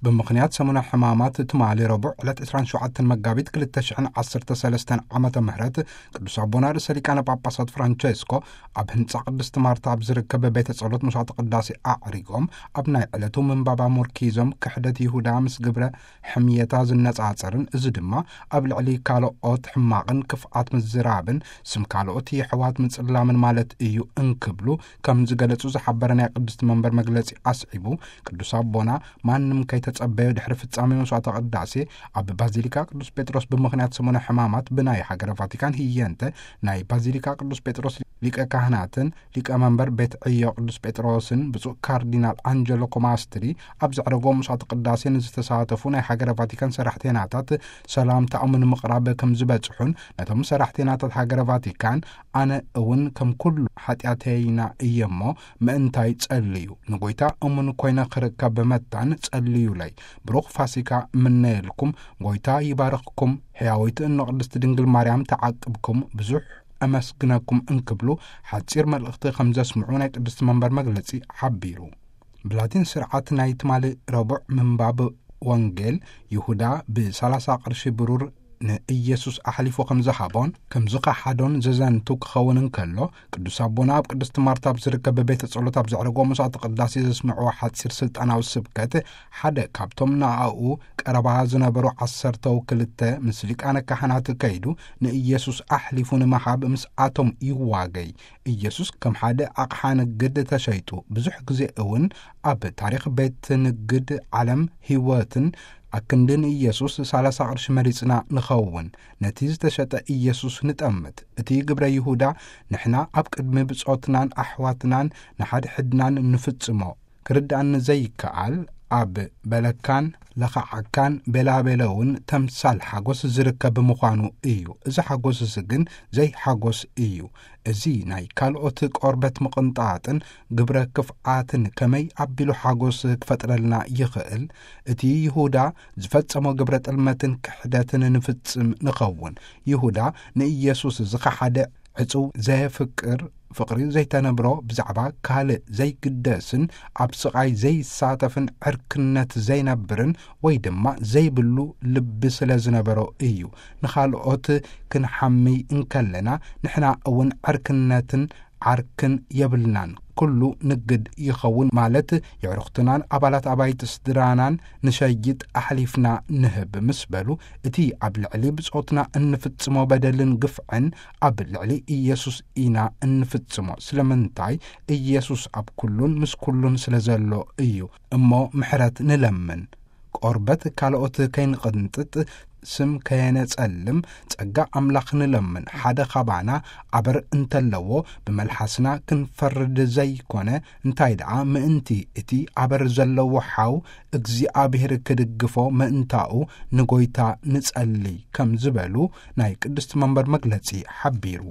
ብምኽንያት ሰሙነ ሕማማት ትማሊ ረቡዕ ዕለት ዕስራን ሸውዓተን መጋቢት ክልተ ሽሕን ዓሰርተ ሰለስተን ዓመተ ምህረት ቅዱስ ኣቦና ርእሰ ሊቃነ ጳጳሳት ፍራንቸስኮ ኣብ ህንጻ ቅድስት ማርታ ኣብ ዝርከብ ቤተ ጸሎት መስዋዕተ ቅዳሴ ኣዕሪጎም፣ ኣብ ናይ ዕለቱ ምንባብ ኣሞርኪዞም ክሕደት ይሁዳ ምስ ግብረ ሕምየታ ዝነጻጸርን፣ እዚ ድማ ኣብ ልዕሊ ካልኦት ሕማቕን ክፍኣት ምዝራብን ስም ካልኦት የሕዋት ምጽላምን ማለት እዩ እንክብሉ ከም ዝገለጹ ዝሓበረ ናይ ቅድስት መንበር መግለጺ ኣስዒቡ፣ ቅዱስ ኣቦና ማንም ከይተጸበዮ ድሕሪ ፍጻሜ መስዋዕተ ቅዳሴ ኣብ ባዚሊካ ቅዱስ ጴጥሮስ ብምኽንያት ሰሙነ ሕማማት ብናይ ሃገረ ቫቲካን ህየንተ ናይ ባዚሊካ ቅዱስ ጴጥሮስ ሊቀ ካህናትን ሊቀ መንበር ቤት ዕዮ ቅዱስ ጴጥሮስን ብፁዕ ካርዲናል ኣንጀሎ ኮማስትሪ ኣብ ዘዕረጎ መስዋዕተ ቅዳሴ ንዝተሳተፉ ናይ ሃገረ ቫቲካን ሰራሕተናታት ሰላምታኦም ንምቕራብ ከም ዝበጽሑን፣ ነቶም ሰራሕተናታት ሃገረ ቫቲካን ኣነ እውን ከም ኩሉ ሓጢኣተይና እየ እሞ ምእንታይ ጸልዩ፣ ንጎይታ እሙን ኮይነ ክርከብ መታን ጸልዩለይ። ብሩኽ ፋሲካ እምነየልኩም፣ ጎይታ ይባርኽኩም፣ ሕያወይቲ እኖ ቅድስቲ ድንግል ማርያም ተዓቅብኩም፣ ብዙሕ ኣመስግነኩም እንክብሉ ሓጺር መልእኽቲ ከም ዘስምዑ ናይ ቅድስቲ መንበር መግለጺ ሓቢሩ። ብላቲን ስርዓት ናይ ትማሊ ረቡዕ ምንባብ ወንጌል፣ ይሁዳ ብ30 ቅርሺ ብሩር ንኢየሱስ ኣሕሊፉ ከም ዝሃቦን ከም ዝኸሓዶን ዘዘንቱ ክኸውን እንከሎ፣ ቅዱስ ኣቦና ኣብ ቅድስቲ ማርታ ኣብ ዝርከብ ቤተ ጸሎት ኣብ ዘዕረጎ መስዋዕተ ቅዳሴ ዘስምዕዎ ሓጺር ስልጣናዊ ስብከት፣ ሓደ ካብቶም ንኣኡ ቀረባ ዝነበሩ ዓሰርተው ክልተ ምስ ሊቃነ ካህናት ከይዱ ንኢየሱስ ኣሕሊፉ ንምሃብ ምስኣቶም ይዋገይ። ኢየሱስ ከም ሓደ ኣቕሓ ንግድ ተሸይጡ። ብዙሕ ግዜ እውን ኣብ ታሪኽ ቤት ንግድ ዓለም ህይወትን ኣክንዲ ንኢየሱስ ሠላሳ ቅርሺ መሪጽና ንኸውን። ነቲ ዝተሸጠ ኢየሱስ ንጠምት። እቲ ግብረ ይሁዳ ንሕና ኣብ ቅድሚ ብጾትናን ኣሕዋትናን ንሓድሕድናን ንፍጽሞ። ክርድኣኒ ዘይከኣል፣ ኣብ በለካን ለኻዓካን ቤላቤለውን ተምሳል ሓጎስ ዝርከብ ምዃኑ እዩ። እዚ ሓጎስስ ግን ዘይሓጎስ እዩ። እዚ ናይ ካልኦት ቆርበት ምቕንጣጥን ግብረ ክፍኣትን ከመይ ኣቢሉ ሓጎስ ክፈጥረልና ይኽእል? እቲ ይሁዳ ዝፈጸሞ ግብረ ጥልመትን ክሕደትን ንፍጽም ንኸውን። ይሁዳ ንኢየሱስ ዝኸሓደ ዕጹው ዘየፍቅር፣ ፍቕሪ ዘይተነብሮ፣ ብዛዕባ ካልእ ዘይግደስን ኣብ ስቓይ ዘይሳተፍን ዕርክነት ዘይነብርን ወይ ድማ ዘይብሉ ልቢ ስለ ዝነበሮ እዩ። ንኻልኦት ክንሓሚ እንከለና ንሕና እውን ዕርክነትን ዓርክን የብልናን። ኩሉ ንግድ ይኸውን ማለት የዕሩኽትናን ኣባላት ኣባይቲ ስድራናን ንሸይጥ ኣሕሊፍና ንህብ ምስ በሉ፣ እቲ ኣብ ልዕሊ ብጾትና እንፍጽሞ በደልን ግፍዕን ኣብ ልዕሊ ኢየሱስ ኢና እንፍጽሞ። ስለምንታይ? ኢየሱስ ኣብ ኩሉን ምስ ኩሉን ስለ ዘሎ እዩ። እሞ ምሕረት ንለምን። ቆርበት ካልኦት ከይንቕንጥጥ፣ ስም ከየነጸልም፣ ጸጋ ኣምላኽ ንለምን። ሓደ ኻባና ኣበር እንተለዎ፣ ብመልሓስና ክንፈርድ ዘይኮነ፣ እንታይ ደኣ ምእንቲ እቲ ኣበር ዘለዎ ሓው እግዚኣብሔር ክድግፎ ምእንታኡ ንጎይታ ንጸሊ፣ ከም ዝበሉ ናይ ቅድስቲ መንበር መግለጺ ሓቢሩ።